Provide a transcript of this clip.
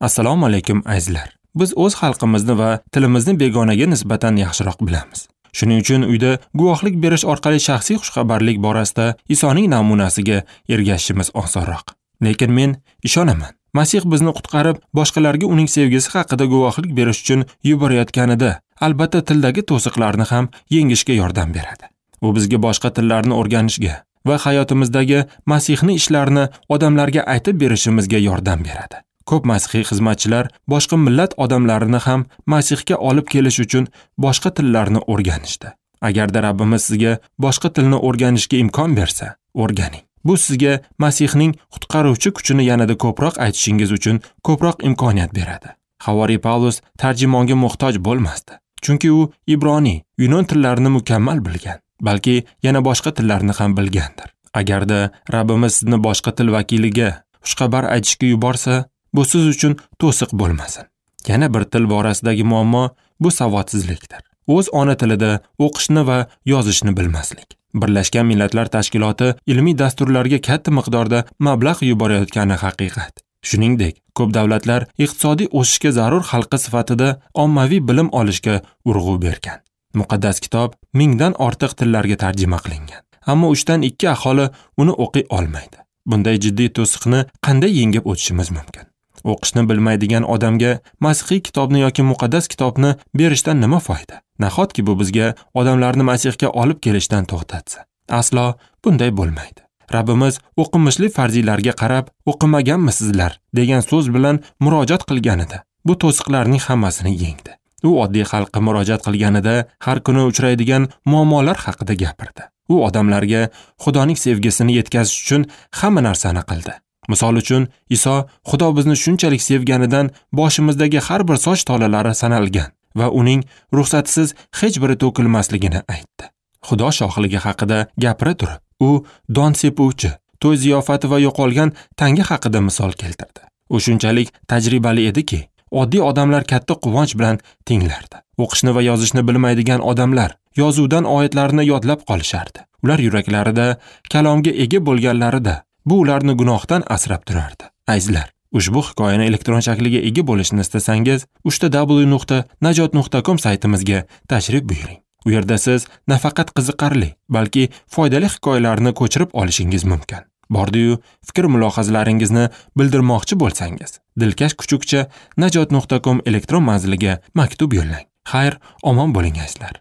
Assalomu alaykum azizlar. Biz o'z xalqimizni va tilimizni begonaga nisbatan yaxshiroq bilamiz. Shuning uchun uyda guvohlik berish orqali shaxsiy xushxabarlik borasida Isoning namunasiga ergashishimiz osonroq. Lekin men ishonaman, Masih bizni qutqarib, boshqalarga uning sevgisi haqida guvohlik berish uchun yuborayotganida, albatta tildagi to'siqlarni ham yengishga yordam beradi. U bizga boshqa tillarni o'rganishga va hayotimizdagi Masihning ishlarini odamlarga aytib berishimizga yordam beradi. Ko'p masihiy xizmatchilar boshqa millat odamlarini ham Masihga olib kelish uchun boshqa tillarni o'rganishdi. Agarda Rabbimiz sizga boshqa tilni o'rganishga imkon bersa, o'rganing. Bu sizga Masihning qutqaruvchi kuchini yanada ko'proq aytishingiz uchun ko'proq imkoniyat beradi. Havoriy Pavlus tarjimonga muhtoj bo'lmasdi, chunki u ibroniy, yunon tillarini mukammal bilgan, balki yana boshqa tillarni ham bilgandir. Agarda Rabbimiz sizni boshqa til vakiliga xushxabar aytishga yuborsa, bu siz uchun to'siq bo'lmasin. Yana bir til borasidagi muammo bu savodsizlikdir. O'z ona tilida o'qishni va yozishni bilmaslik. Birlashgan Millatlar Tashkiloti ilmiy dasturlarga katta miqdorda mablag' yuborayotgani haqiqat. Shuningdek, ko'p davlatlar iqtisodiy o'sishga zarur halqa sifatida ommaviy bilim olishga urg'u bergan. Muqaddas kitob 1000dan ortiq tillarga tarjima qilingan. Ammo 3dan 2 aholi uni o'qiy olmaydi. Bunday jiddiy to'siqni qanday yengib o'tishimiz mumkin? O'qishni bilmaydigan odamga masihiy kitobni yoki muqaddas kitobni berishdan nima foyda? Nahotki bu bizga odamlarni Masihga olib kelishdan to'xtatsa? Aslo bunday bo'lmaydi. Rabbimiz o'qimishli farziylarga qarab, o'qimaganmisizlar degan so'z bilan murojaat qilganida, bu to'siqlarning hammasini yengdi. U oddiy xalqqa murojaat qilganida har kuni uchraydigan muammolar haqida gapirdi. U odamlarga Xudoning sevgisini yetkazish uchun hamma narsani qildi. Misol uchun, Iso Xudo bizni shunchalik sevganidan boshimizdagi har bir soch tolalari sanalgan va uning ruxsatisiz hech biri to'kilmasligini aytdi. Xudo shohligi haqida gapira turib, u don sepuvchi, to'y ziyofati va yo'qolgan tanga haqida misol keltirdi. U shunchalik tajribali ediki, oddiy odamlar katta quvonch bilan tinglardi. O'qishni va yozishni bilmaydigan odamlar yozuvdan oyatlarni yodlab qolishardi. Ular yuraklarida kalomga ega bo'lganlarida bu ularni gunohdan asrab turardi. Azizlar, ushbu hikoyani elektron shakliga ega bo'lishni istasangiz, www.najot.com saytimizga tashrif buyuring. U yerda siz nafaqat qiziqarli, balki foydali hikoyalarni ko'chirib olishingiz mumkin. Bordi-yu, fikr mulohazalaringizni bildirmoqchi bo'lsangiz, dilkash kuchukcha najot.com elektron manziliga maktub yo'llang. Xayr, omon bo'ling azizlar.